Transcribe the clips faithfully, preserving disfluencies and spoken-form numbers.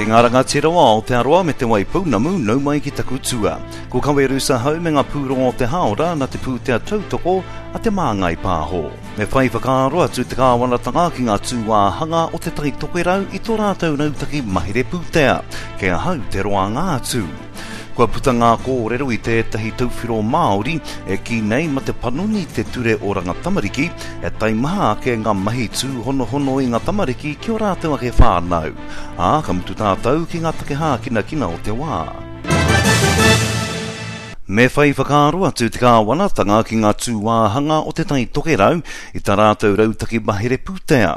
Kei ngā rangatira o Aotearoa me Te Waipounamu, nau mai ki taku tua. Ko Kawerusa hau me ngā pūrongo o te hāora na te pūtea tautoko a Te Māngai Pāho. Me whai whakaaro atu te kāwanatanga ki ngā tūāhanga o Te Tai Tokerau i tō rātou rautaki mahere pūtea. Kei ahau te roanga atu. Kua puta ngā kōrero i tētahi tauwhiro Māori e kī nei ma te panoni te ture oranga tamariki e taimaha ake ngā mahi tūhonohono i ngā tamariki ki o rātou ake whānau. Ā, ka mutu tātou ki ngā take hākinakina o te wā. Me whai whakaaro atu te kāwanatanga ki ngā tūāhanga o Te Tai Tokerau i tā rātou rautaki mahere pūtea.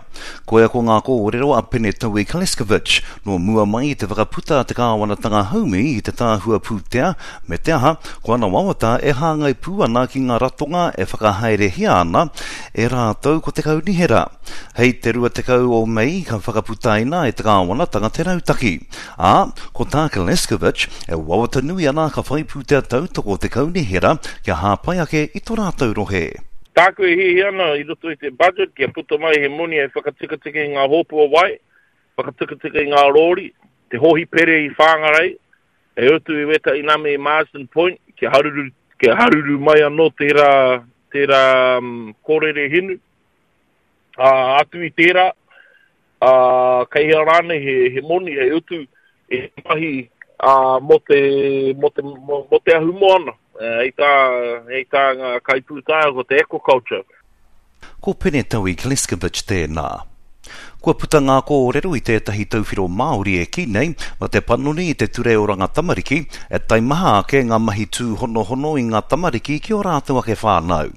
Koia ko ngā kōrero a Pene Taui Kleskovic, nō mua mai i te whakaputa a te kāwanatanga haumi i te tāhua pūtea, me te aha, ko ana wawata e hāngai pū ana ki ngā ratonga e whakahaerehia ana e rātou ko te kaunihera. Hei te rua tekau o Mei ka whakaputaina e te kāwanatanga te rautaki. Ā, ko tā Kleskovic e wawata nui ana ka whai pūtea tautoko te kaunihera kia hāpai ake i tō rātou rohe. Tāku e hiahia ana i roto i te budget kia puta mai he moni e whakatikatika i ngā hōpua wai, whakatikatika i ngā rōri, te hōhipere i Whāngarei, e utu i wētahi name i Marsden Point, kia haruru, kia haruru mai anō tērā, tērā um, kōrere hinu. Ā, atu i tērā, ā, kei hea rānei he, he moni hei utu e mahi ā, mō te, mō te, mō, mō te ahumoana. Hei tā, hei tā ngā kaipūtaiao ko te aquaculture. Ko Pene Taui Kleskovic tēnā. Kua puta ngā kōrero i tētahi tauwhiro Māori e kī nei, ma te panoni i te ture oranga tamariki, e taimaha ake ngā mahi tūhonohono i ngā tamariki ki o rātou ake whānau.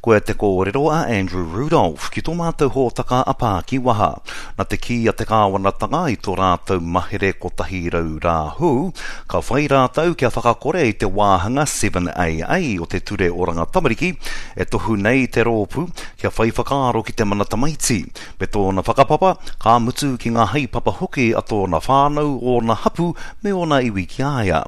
Koia te kōrero a Andrew Rudolph ki tō mātou hōtaka a Pākiwaha. Na te kī a te kāwanatanga i tō rātou mahere kotahi rau rā hou, ka whai rātou kia whakakore i te wāhanga seven A A o te ture oranga tamariki, e tohu nei te rōpū kia whai whakaaro ki te mana tamaiti, me tōna whakapapa, ka mutu ki ngā haepapa hoki a tōna whānau, ōna hapu, me ōna iwi ki a ia.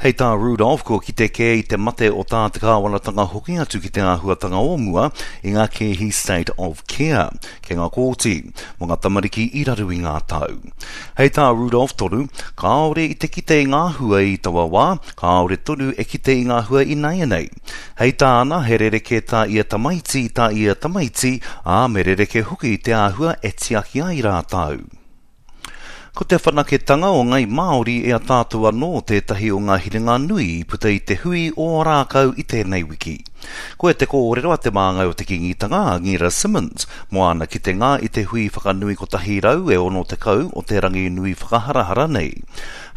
Hei tā Rudolph, kua kite kē i te mate o tā te kāwanatanga hoki atu ki te āhuatanga o mua i ngā kēhi State of Care, ki ngā kōti, mō ngā tamariki i raru i ngā tau. Hei tā Rudolph tonu, kāore i te kite i ngā hua i taua wā, kāore tonu e kite i ngā hua i nāianei. Hei tāna, he rerekē tā ia tamaiti, tā ia tamaiti, ā, me rerekē hoki te āhua e tiaki ai rātou. Ko te whanaketanga o Ngai Māori e a tātou anō tētahi o ngā hiringa nui i puta i te hui o Rākau i tēnei wiki. Koe te kōrero a te māngai o te Kīngitanga, a Ngira Simmons, mō ana kitenga i te hui whakanui kotahi rau e ono tekau o te rangi nui whakaharahara nei.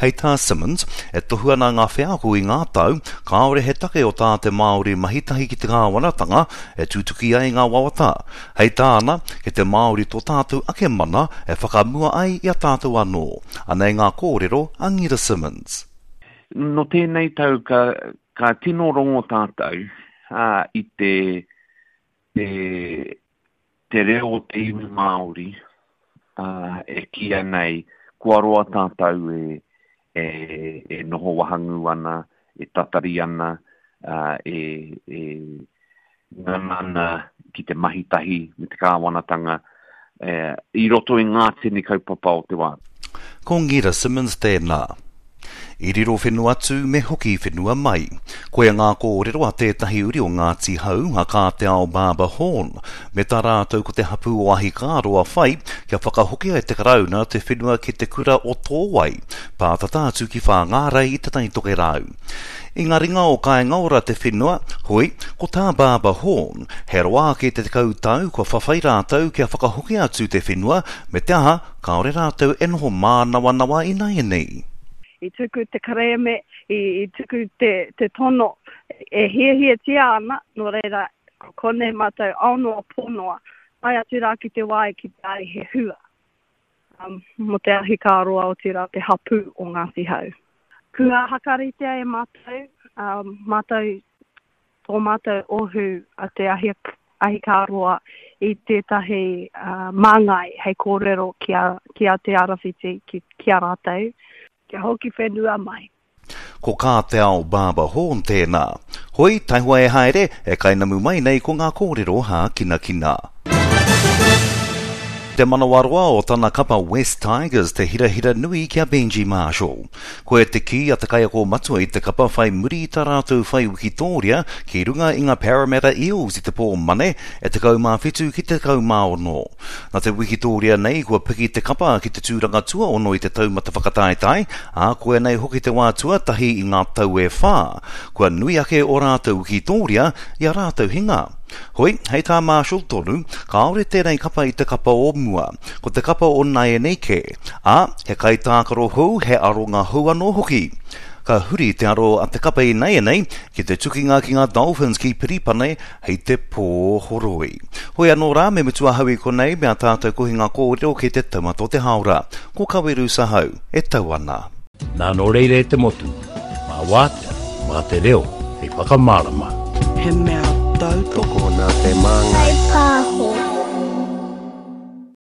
Hei tā Simmons, e tohu ana ngā wheako i ngā tau, kāore he take o tā te Māori mahitahi ki te kāwanatanga e tutuki ai ngā wawata. Hei tāna, ki te Māori tō tātou ake mana e whakamua ai i a tātou anō. Anei ngā kōrero a Ngira Simmons. No tēnei tau ka, ka tino rongo tātou, ā, i te, te, te reo o te iwi Māori, ā, e kīia nei, kua roa tātou e, e, e noho wahangū ana, e tatari ana, ā, e, e ngana ana ki te mahi tahi me te kāwanatanga, e, i roto i ngā tini kaupapa o te wā. Ko Ngira Simmons tēnā. I riro whenua atu me hoki whenua mai. Koia ngā kōrero a tētahi uri o Ngāti Hau, a Kā Te Ao Barber Horn, me tā rātou ko te hapū o Ahikāroa whai, kia whakahokia e te Karauna te whenua ki te kura o Tōwai, pātata atu ki Whāngārei i Te Tai Tokerau. I ngā ringa o Kāinga Ora te whenua, hoi, ko tā Barber Horn, he roa ake te tekau tau kua whawhai rātou kia whakahokia atu te whenua, me te aha, kāore rātou e noho mānawanawa i nāianei. I tuku te kerēme, i, i tuku te, te tono e hiahiatia ana, nō reira, ko konei mātou ao noa pō noa, tae atu rā ki te wā e ki te ai he hua. Um, mō te ahikāroa o tērā te hapū o Ngāti Hau. Kua hakaritea e mātou, um, mātou, tō mātou ohu a te ahi, ahikāroa i tētahi, uh, māngai hei kōrero ki a, ki a Te Arawhiti, ki, ki a rātou, kia hoki whenua mai. Ko Kā Te Ao Barber Horn tēnā. Hoi, taihoa e haere, e kainamu mai nei ko ngā kōrero hākinakina. te manawaroa o tana kapa West Tigers te hirahira nui ki a Benji Marshall. Koe te kī a te kaiako matua i te kapa whai muri i tā rātou whai wikitōria ki runga i ngā Parramatta Eels i te pō Mane e tekau mā whitu ki te tekau mā ono. Nā te wikitōria nei kua piki te kapa ki te tūranga tuaono i te taumata whakataetae, ā, koinei hoki te wā tuatahi i ngā tau e whā. Kua nui ake o rātou wikitōria i a rātou hinga. Hoi, hei tā Marshall tonu, kāore tēnei kapa i te kapa o mua, ko te kapa o nāianei kē, ā, he kaitākaro hou, he aronga hou anō hoki. Ka huri te aro a te kapa i nāianei ki te tukinga ki ngā Dolphins ki Piripane hei te pō horoi. Hoi anō rā, me mutu ahau i konei me a tātou kohinga kōrero ki te taumata o te hāora. Ko Kaweru Sahau e tau ana. Nā nō reira e te motu, mā wātea, mā te reo, hei whakamārama. He mea tautoko. Tokona te māngai. Whai pāho.